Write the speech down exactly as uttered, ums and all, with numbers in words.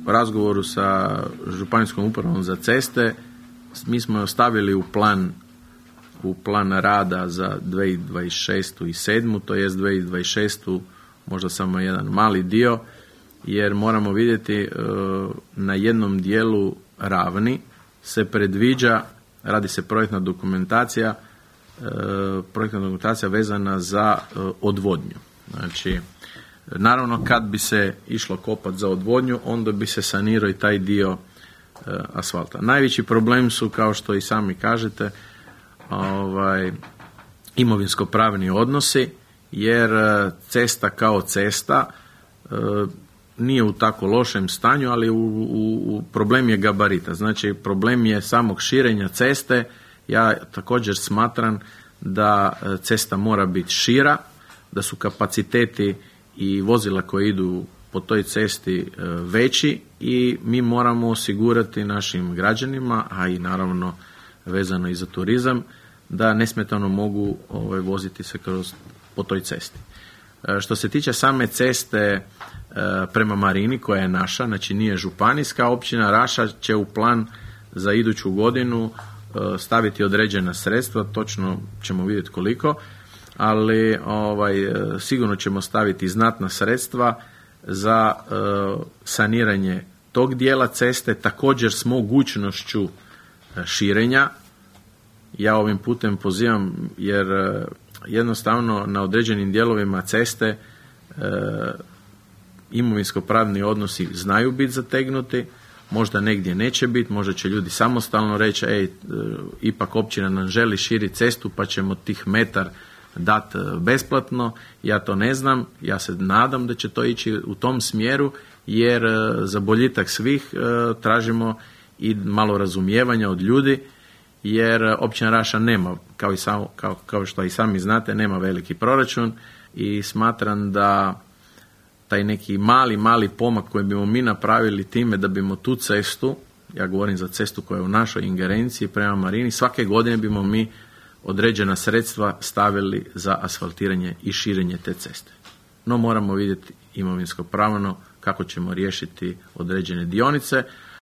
razgovoru sa Županijskom upravom za ceste mi smo ostavili u plan u plan rada za dvije tisuće dvadeset šestu i sedmu, to jest dvije tisuće dvadeset šestu možda samo jedan mali dio, jer moramo vidjeti na jednom dijelu ravni se predviđa, radi se projektna dokumentacija, projektna dokumentacija vezana za odvodnju. Znači, naravno kad bi se išlo kopati za odvodnju, onda bi se sanirao i taj dio asfalta. Najveći problem su, kao što i sami kažete, ovaj, imovinsko-pravni odnosi, jer cesta kao cesta e, nije u tako lošem stanju, ali u, u, u problem je gabarita. Znači, problem je samog širenja ceste. Ja također smatram da cesta mora biti šira, da su kapaciteti i vozila koje idu po toj cesti e, veći i mi moramo osigurati našim građanima, a i naravno vezano i za turizam, da nesmetano mogu ovaj, voziti se kroz, po toj cesti. E, što se tiče same ceste e, prema Marini, koja je naša, znači nije županijska, općina Raša će u plan za iduću godinu e, staviti određena sredstva, točno ćemo vidjeti koliko, ali ovaj, sigurno ćemo staviti znatna sredstva za e, saniranje tog dijela ceste, također s mogućnošću širenja. Ja ovim putem pozivam, jer e, jednostavno na određenim dijelovima ceste e, imovinsko-pravni odnosi znaju biti zategnuti, možda negdje neće biti, možda će ljudi samostalno reći, ej, e, ipak općina nam želi širiti cestu, pa ćemo tih metar dati besplatno. Ja to ne znam, ja se nadam da će to ići u tom smjeru, jer e, za boljitak svih e, tražimo i malo razumijevanja od ljudi, jer općina Raša nema, kao, i sam, kao, kao što i sami znate, nema veliki proračun i smatram da taj neki mali, mali pomak koji bimo mi napravili time da bimo tu cestu, ja govorim za cestu koja je u našoj ingerenciji prema Marini, svake godine bimo mi određena sredstva stavili za asfaltiranje i širenje te ceste. No moramo vidjeti imovinsko pravno kako ćemo riješiti određene dionice.